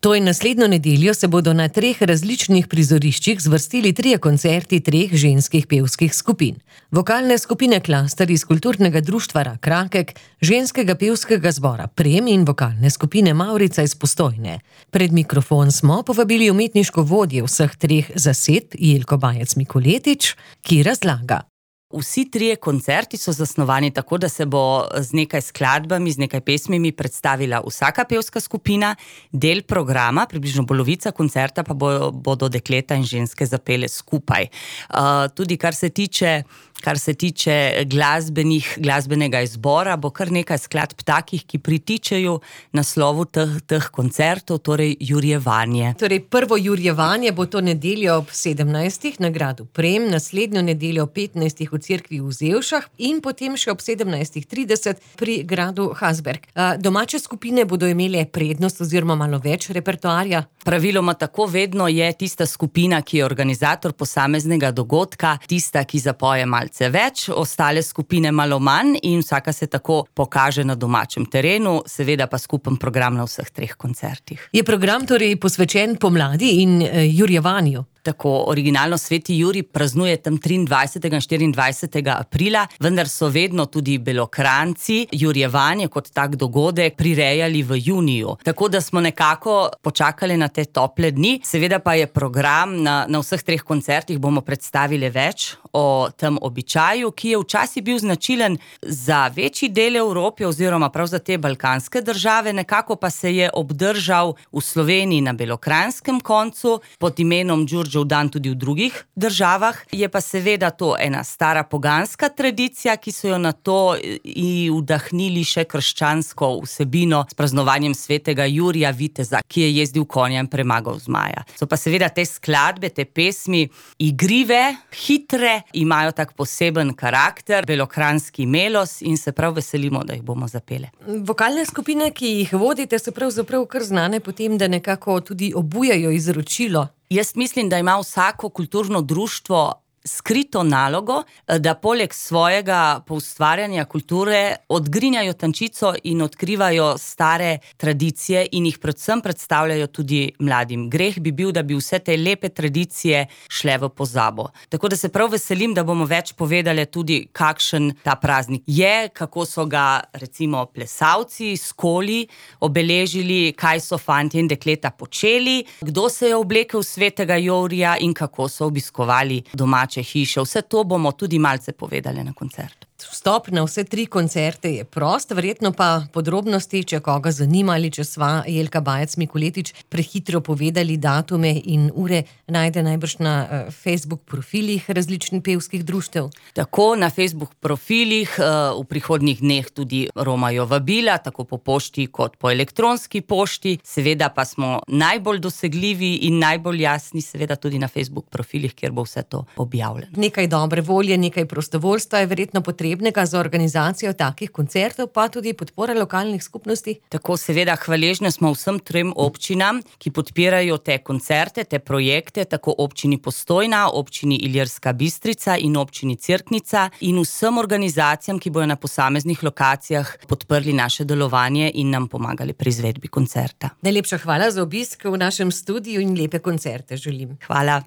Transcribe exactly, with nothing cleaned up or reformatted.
To je naslednjo nedeljo se bodo na treh različnih prizoriščih zvrstili trije koncerti treh ženskih pevskih skupin. Vokalne skupine Klaster iz Kulturnega društva Rak Rakek, ženskega pevskega zbora Prem in vokalne skupine Mavrica iz Postojne. Pred mikrofon smo povabili umetniško vodjo vseh treh zasedb Jelko Bajec-Mikoletič, ki razlaga. Vsi trije koncerti so zasnovani tako, da se bo z nekaj skladbami, z nekaj pesmimi predstavila vsaka pevska skupina, del programa, približno polovica koncerta pa bo, bodo dekleta in ženske zapele skupaj. Uh, tudi kar se tiče Kar se tiče glasbenih, glasbenega izbora, bo kar nekaj skladb takih, ki pritičejo naslovu teh, teh koncertov, torej Jurjevanje. Torej prvo Jurjevanje bo to nedeljo ob sedemnajstih na gradu Prem, naslednjo nedeljo ob petnajstih v cerkvi v Zevšah in potem še ob sedemnajstih trideset pri gradu Hasberg. Domače skupine bodo imele prednost oziroma malo več repertoarja? Praviloma tako vedno je tista skupina, ki je organizator posameznega dogodka, tista, ki zapoje malce več, ostale skupine malo manj in vsaka se tako pokaže na domačem terenu, seveda pa skupen program na vseh treh koncertih. Je program torej posvečen pomladi in e, Jurjevanju? Tako, originalno Sveti Jurij praznuje tam triindvajsetega in štiriindvajsetega aprila, vendar so vedno tudi Belokranjci Jurjevanje kot tak dogodek prirejali v juniju. Tako da smo nekako počakali na te tople dni. Seveda pa je program na, na vseh treh koncertih bomo predstavili več o tem običaju, ki je včasih bil značilen za večji del Evrope oziroma prav za te balkanske države, nekako pa se je obdržal v Sloveniji na belokranjskem koncu pod imenom Đurđev dan tudi v drugih državah. Je pa seveda to ena stara poganska tradicija, ki so jo na to i vdahnili še krščansko vsebino s praznovanjem svetega Jurija Viteza, ki je jezdil konja in premagal zmaja. So pa seveda te skladbe, te pesmi igrive, hitre, imajo tak poseben karakter, belokranjski melos in se prav veselimo, da jih bomo zapele. Vokalne skupine, ki jih vodite, so pravzaprav kar znane potem, da nekako tudi obujajo izročilo. Jaz mislim, da ima vsako kulturno društvo skrito nalogo, da poleg svojega poustvarjanja kulture odgrinjajo tančico in odkrivajo stare tradicije in jih predvsem predstavljajo tudi mladim. Greh bi bil, da bi vse te lepe tradicije šle v pozabo. Tako da se prav veselim, da bomo več povedali tudi, kakšen ta praznik je, kako so ga recimo plesalci, skoli obeležili, kaj so fantje in dekleta počeli, kdo se je oblekel svetega Jurija in kako so obiskovali domače hiše. Vse to bomo tudi malce povedali na koncertu. Vstop na vse tri koncerte je prost, verjetno pa podrobnosti, če koga zanima ali če sva Jelka Bajec-Mikoletič prehitro povedali datume in ure, najde najbrž na uh, Facebook profilih različnih pevskih društev. Tako, na Facebook profilih uh, v prihodnjih dneh tudi romajo vabila, tako po pošti kot po elektronski pošti. Seveda pa smo najbolj dosegljivi in najbolj jasni seveda tudi na Facebook profilih, kjer bo vse to objavljeno. Nekaj dobre volje, nekaj prostovoljstva je verjetno potrebno za organizacijo takih koncertov, pa tudi podpora lokalnih skupnosti. Tako, seveda, hvaležne smo vsem trem občinam, ki podpirajo te koncerte, te projekte, tako občini Postojna, občini Ilirska Bistrica in občini Cerknica in vsem organizacijam, ki bojo na posameznih lokacijah podprli naše delovanje in nam pomagali pri izvedbi koncerta. Najlepša hvala za obisk v našem studiu in lepe koncerte želim. Hvala.